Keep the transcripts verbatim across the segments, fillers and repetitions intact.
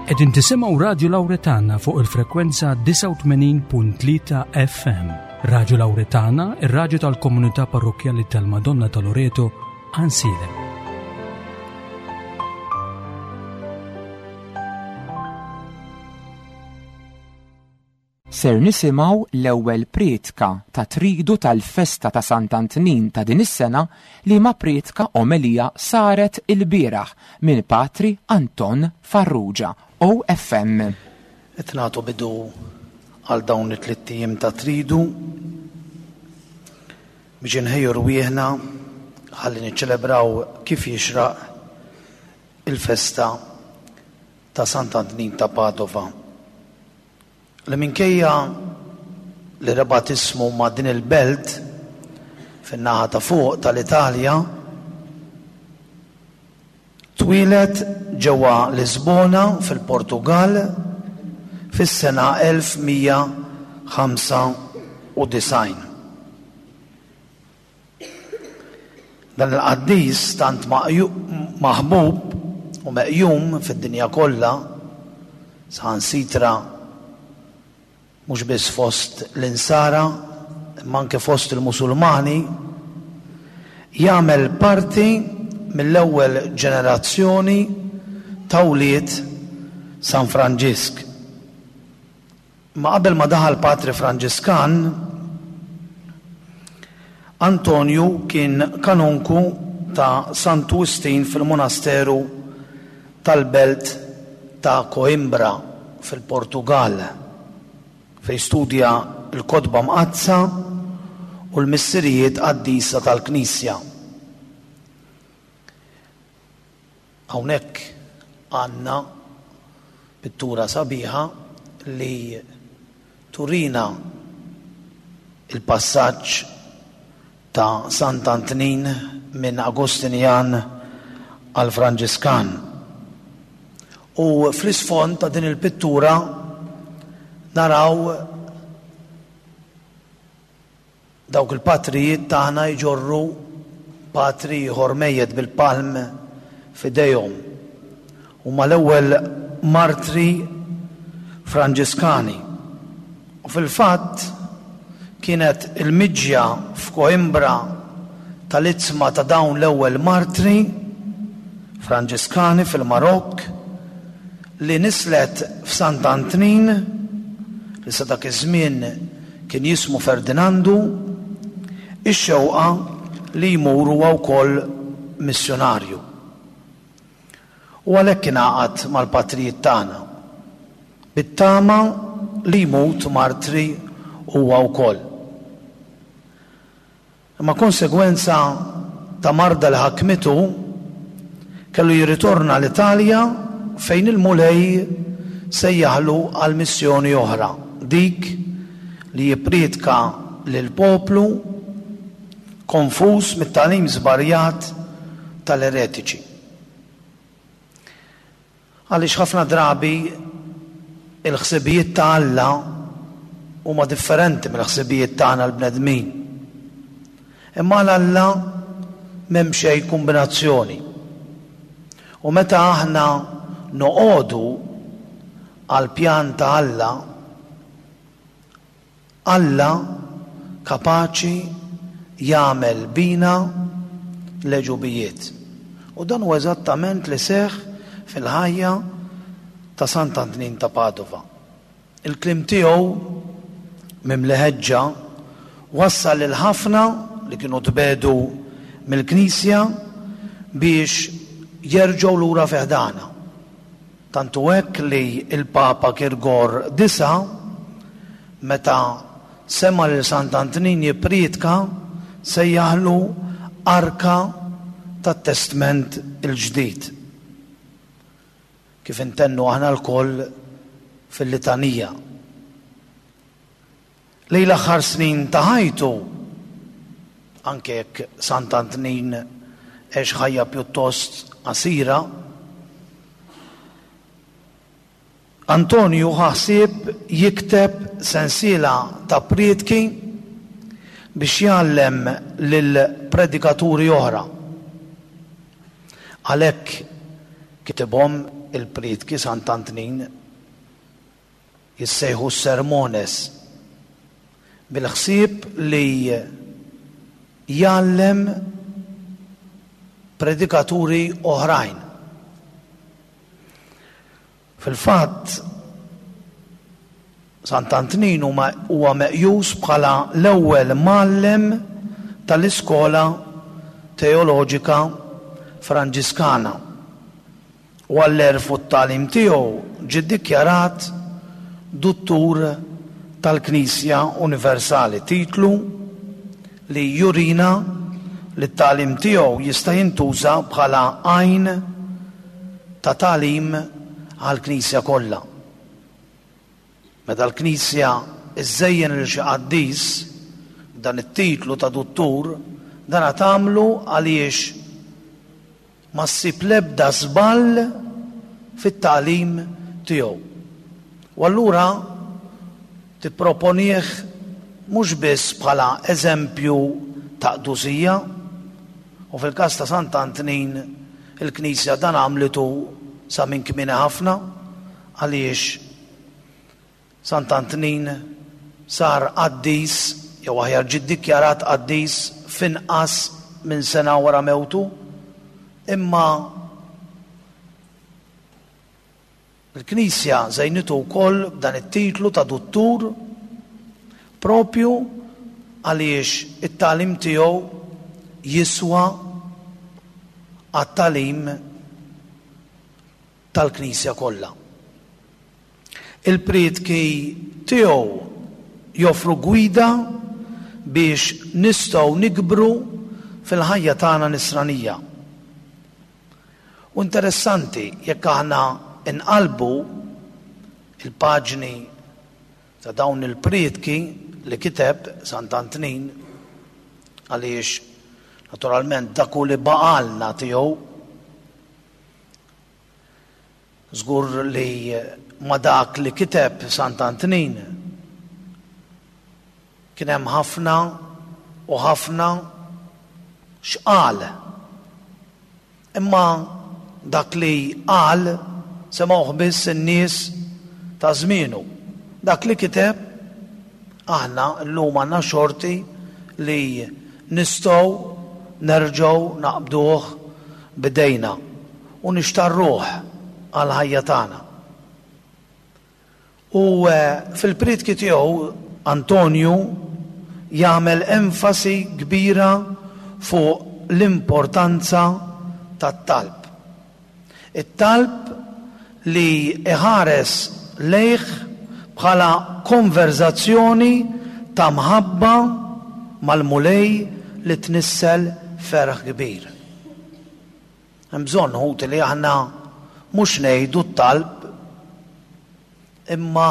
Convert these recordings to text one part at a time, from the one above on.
Qegħdin tisimgħu Radju Lawretana fuq il-frekwenza disgħa u tmenin punt tlieta F M. Radju Lawretana, ir-radju tal-komunità parrokkjali tal-Madonna ta' Loreto, Għajnsielem. Ser nisimgħu l-ewwel prietka ta' tridu tal-festa ta' Sant'Antnin ta' din is-sena, li ma prietka omelija saret il-bieraħ minn Patri Anton Farrugia, O F M. Qed nagħtu bidu għal dawn it-tliet ijiem ta' tridu biex inħejju rwieħna ħalli niċċelebraw kif jixraq il-festa ta' Sant'Antnin ta' Padova, li minkejja li rabat ismu ma' din il-belt fin-naħa ta' fuq tal-Italja, twieled ġewwa Lisbona fil-Portugal fis-sena elf mija ħamsa u disgħin. Dan il-qaddis tant maħbub u meqjum fid-dinja kollha, saħansitra mhux biss fost l-insara, imma anke fost il-Musulmani, jagħmel parti mill-ewwel ġenerazzjoni ta' wlied San Franġisk. Ma qabel ma daħal Patri Franġiskan, Antonju kien kanonku ta' Santu Wistin fil-monasteru tal-belt ta' Coimbra fil-Portugal, fej studja l-kotba mqaddsa u l-missirijiet qaddisa tal-Knisja. Hawnhekk għandna pittura sabiħa li turina il-passaġġ ta' Sant'Antnin minn Agostinjan għal Franġiskan. U fl-isfond ta' din il-pittura naraw dawk il-patrijiet tagħna jġorru patri ieħor mejjet bil-palm f'idejhom. Huma l-ewwel martri Franġiskani. U fil-fatt kienet il-miġja f'Coimbra tal-iġsma ta' dawn l-ewwel martri Franġiskani fil-Marokk li nislet f'Sant'Antnin, li sa dak iż-żmien kien jismu Ferdinandu, ix-xewqa li jmur huwa wkoll missjonarju. U għalhekk ingħaqad mal-patrijiet tagħna, bit-tama li jmut martri huwa wkoll. Imma konsegwenza ta' marda li ħakmitu kellu jirritorna l-Italja, fejn il-Mulej sejjaħlu għal missjoni oħra, dik li jippriedka lil poplu konfuż mit-tagħlim żbarjat tal-eretiċi. Għaliex ħafna drabi il-ħsibijiet ta' Alla huma differenti mill-ħsibijiet tagħna l-bnedmin. Imma għal Alla m'hemm xejn kombinazzjoni. U meta aħna noqogħdu għal pjan ta' Alla, Alla kapaċi jagħmel bina l-għeġubijiet. U dan huwa eżattament li seħħ fil-ħajja ta' Sant'Antnin ta' Padova. Il-kliem tiegħu mimli ħeġġa wassal lil ħafna li kienu tbiegħdu mill-Knisja biex jerġgħu lura fi ħdanha. Tantu hekk li il-Papa Girgor Disa, meta sema lil Sant'Antnin jippriedka, sejjaħlu arka tat-Testment il-Ġdid, kif intennu aħna lkoll fil-litanija. Lejn l-aħħar snin ta' ħajtu, anke jekk Sant'Antnin għex ħajja pjuttost qasira, Antonju ħa ħsieb jikteb sensiela ta' priedki biex jgħallem lil predikaturi oħra. Għalhekk Kitibhom il-prietki Sant'Antnin, jissejħu sermones, bil-ħsieb li jgħallem predikaturi oħrajn. Fil-fatt, Sant'Antnin huwa meqjus bħala l-ewwel mgħallem tal-iskola teoloġika Franġiskana. U għall-għerf u t-tagħlim tiegħu ġie ddikjarat Duttur tal-Knisja Universali, titlu li jurina li t-tagħlim tiegħu jista' jintuża bħala għajn ta' tagħlim għall-Knisja kollha. Meta l-Knisja iżżejjen lil xi qaddis dan it-titlu ta' duttur, dan tagħmlu għaliex ma ssib l-ebda żball fit-tagħlim tiegħu. U allura tipproponih mhux biss bħala eżempju ta' qdusija, u fil-każ ta' Sant'Antnin il-Knisja dan għamlitu sa minn kmieni ħafna, għaliex Sant'Antnin sar qaddis, jew aħjar ġie ddikjarat qaddis f'inqas minn sena wara mewtu, imma il-Knisja żejnitu wkoll b'dan it-titlu ta' duttur propju għaliex it-tagħlim tiegħu jiswa għat-tagħlim tal-Knisja kollha. Il-prietki tiegħu joffru gwida biex nistgħu nikbru fil-ħajja tagħna nisranija. U interessanti jekk aħna inqalbu il-paġni ta' dawn il-prietki li kiteb Sant'Antnin, għaliex naturalment dak hu li baqalna tiegħu, żgur li ma dak li kiteb Sant'Antnin kien hemm ħafna u ħafna x'qal. Imma dak li qal semgħuh biss in-nies ta' żmienu. Dak li kiteb aħna llum għandna xorti li nistgħu nerġgħu naqbduh bidejna u nixtarruh għall-ħajja tagħna. U fil-prietki tiegħu Antonju jagħmel enfasi kbira fuq l-importanza tat-talb. It-talb li iħares lejh bħala konverzazzjoni ta' mħabba mal-Mulej li tnissel ferħ kbir. Hemm bżonn, ħuti, li aħna mhux ngħidu t-talb, imma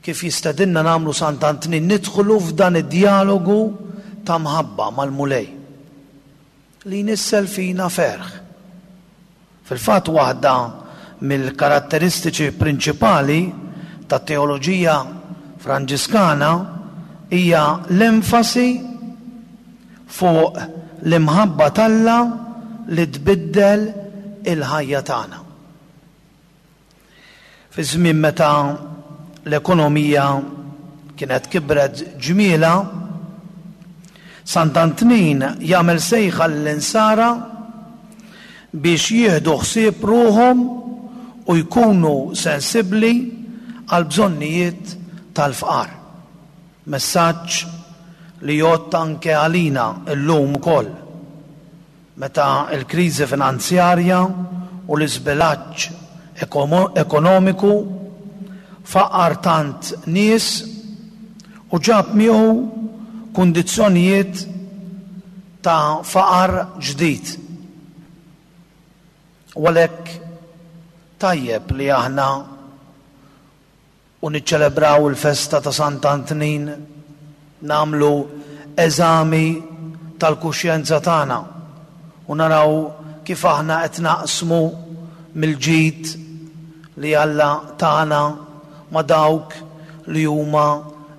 kif jistedinna nagħmlu Sant'Antnin, nidħlu f'dan id-dialogu ta' mħabba mal-Mulej li jnissel fina ferħ. Fil-fatt, waħda mill-karatteristiċi prinċipali tat-teoloġija Franġiskana hija l-enfasi fuq l-imħabba t'Alla li tbiddel il-ħajja tagħna. Fi żmien meta l-ekonomija kienet kibret ġmiela, Sant'Antnin jagħmel sejħa lill-insara biex jieħdu ħsieb ruħhom u jkunu sensibbli għal bżonnijiet tal-fqar. Messaġġ li jgħodd anke għalina llum ukoll, meta l-kriżi finanzjarja u l-iżbilanċ ekonomiku faqar tant nies u ġab miegħu kundizzjonijiet ta' faqar ġdid. U għalhekk tajjeb li aħna u niċċelebraw il-festa ta' Sant'Antnin nagħmlu eżami tal-kuxjenza tagħna u naraw kif aħna qed naqsmu mill-ġid li Alla tagħna ma' dawk li huma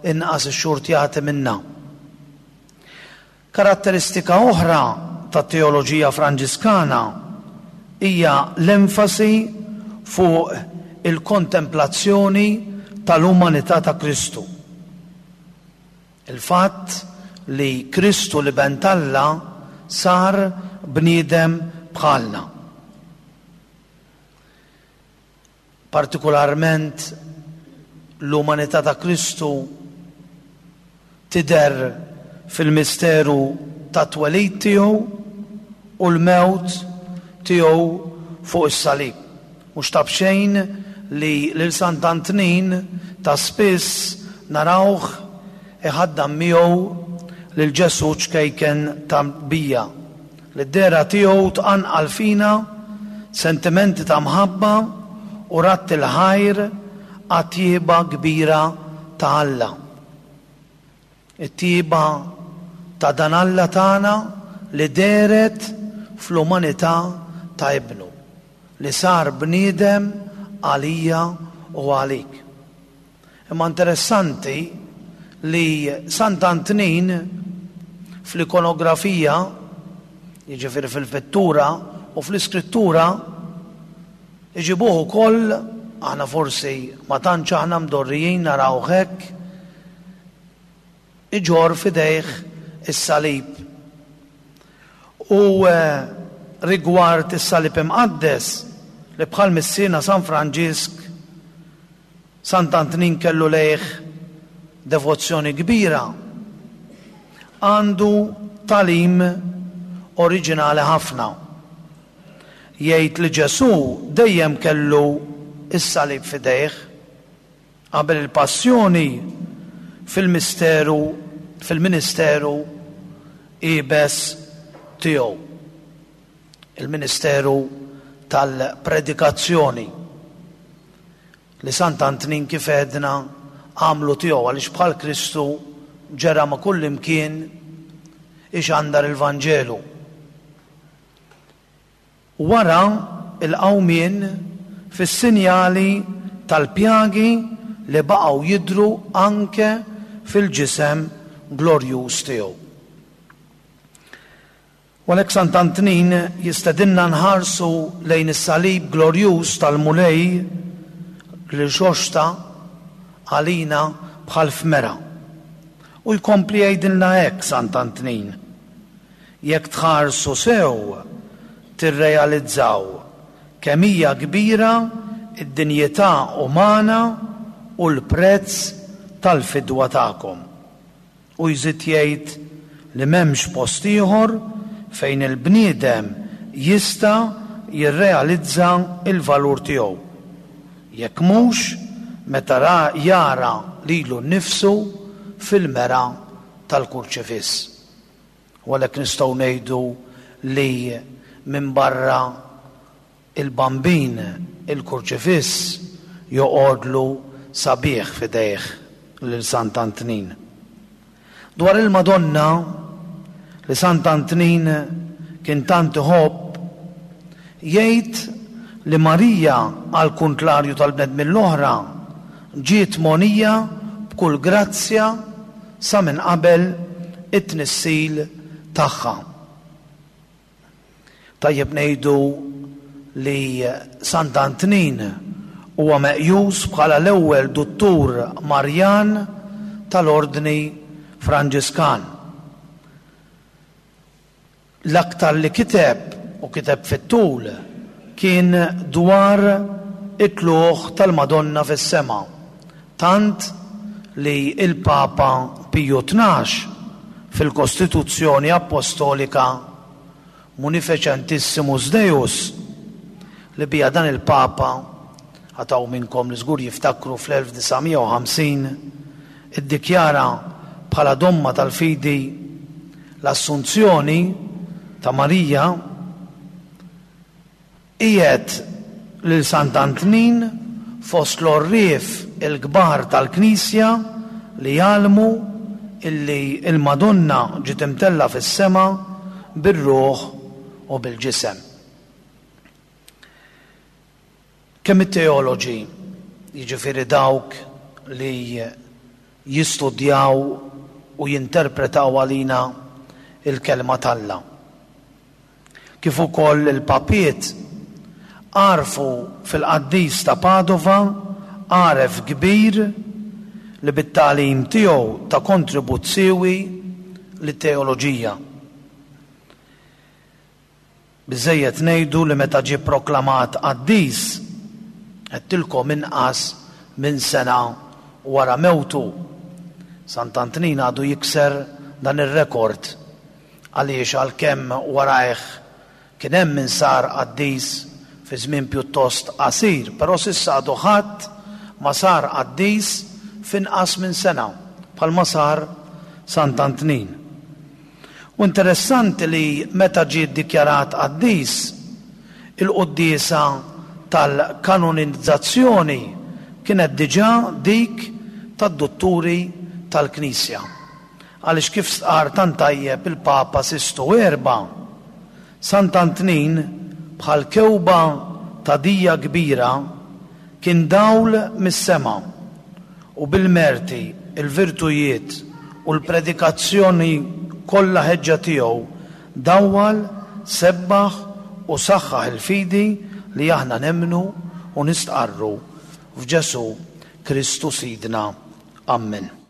inqas ixxurtjati minna. Karatteristika oħra tat-teoloġija Franġiskana hija l-enfasi fuq il-kontemplazzjoni tal-umanità ta' Kristu. Il-fatt li Kristu l-Iben t'Alla sar bniedem bħalna. Partikolarment l-umanità ta' Kristu tidher fil-misteru tat-twelid tiegħu u l-mewt tiegħu fuq is-salib. Mhux ta' b'xejn li lil Sant'Antnin ta' spiss narawh iħaddam miegħu lil Ġesù ċkejken tarbija, li d-dehra tiegħu tqanqal fina sentimenti ta' mħabba u radd il-ħajr għat-tjieba kbira ta' Alla. It-tjieba ta' dan Alla tagħna li dehret fl-umanità ta' Ibnu, li sar bniedem għalija u għalik. Imma interessanti li Sant'Antnin fl-ikonografija, jiġifieri fil-pittura u fl-iskrittura, iġibuh ukoll, aħna forsi ma tantx aħna mdorrijin narawh hekk, iġorr f'idejh is-salib. U rigward is-salib imqaddes li bħal missierna San Franġisk, Sant'Antnin kellu lejh devozzjoni kbira, għandu tagħlim oriġinali ħafna. Jgħid li Ġesù dejjem kellu is-salib f'idejh qabel il-passjoni fil-misteru, fil-ministeru iebes tiegħu, il-ministeru tal-predikazzjoni li Sant'Antnin kif għedna għamlu tiegħu, għaliex bħal Kristu ġera ma' kull imkien ixandar il-Vanġelu. Wara il-qawmien fis-sinjali tal-pjagi li baqgħu jidhru anke fil-ġisem glorjuż tiegħu. U għalhekk Sant'Antnin jistedinna nħarsu lejn is-salib glorjuż tal-Mulej li rxoxta għalina bħal fmera. U jkompli jgħidilna hekk Sant'Antnin: jekk tħarsu sew tirrealizzaw kemm hija kbira id-dinjità umana u l-prezz tal-fidwa tagħkom. U jżid jgħid li m'hemmx post ieħor fejn il-bniedem jista' jirrealizza il-valur tiegħu, jekk mhux meta ra jara lilu nnifsu fil-mera tal-kurċifiss. U għalhekk nistgħu ngħidu li minn barra il-bambin il-kurċifiss joqogħdlu sabiħ f'idejh lil Sant'Antnin. Dwar il-Madonna li Sant'Antnin kien tant iħobb, jgħid li Marija għal kuntlarju tal-bnedmin l-oħra ġiet monija b'kull grazzja sa minn qabel it-tnissil tagħha. Tajjeb ngħidu li Sant'Antnin huwa meqjus bħala l-ewwel duttur Marjan tal-Ordni Franġiskan. L-aktar li kiteb u kiteb fit-tul kien dwar it-tluq tal-Madonna fis-sema, tant li il-Papa Piju tnax fil-Kostituzzjoni Apostolika Munificentissimus Deus, li bija dan il-Papa, għataw minnkom li żgur jiftakru fl-elf disa' mija u ħamsin, iddikjara bħala domma tal-fidi l-Assunzjoni ta' Marija, qiegħed lil Sant'Antnin fost l-għorrief il-kbar tal-Knisja li jgħallmu illi il-Madonna ġiet imtella fis-sema bir-ruħ u bil-ġisem. Kemm it-teoloġi, jiġifieri dawk li jistudjaw u jinterpretaw għalina il-kelma t'Alla, kif ukoll il-papiet Għarfu fil-qaddis ta' Padova għaref kbir li bit-tagħlim tiegħu ta kontribut siewi lit-teoloġija. Biżżejjed ngħidu li meta ġie proklamat qaddis, għedtilkom inqas minn sena wara mewtu, Sant'Antnin għadu jikser dan ir-rekord għaliex għalkemm warajh kien hemm min sar qaddis fi żmien pjuttost qasir, però s'issa għadu ħadd ma sar qaddis f'inqas minn sena bħalma sar Sant'Antnin. U interessanti li meta ġie ddikjarat qaddis, il-quddiesa tal-kanonizzazzjoni kienet diġà dik tad-dutturi tal-Knisja. Għaliex kif stqarr tant tajjeb il-Papa Sistu Erba', Sant'Antnin bħal kewba ta' dija kbira kien dawl mis-sema u bil-merti, il-virtujiet u l-predikazzjoni kollha ħeġġa tiegħu dawwal, sebbaħ u saħħaħ il-fidi li aħna nemmnu u nistqarru f'Ġesù Kristu Sidna. Ammen.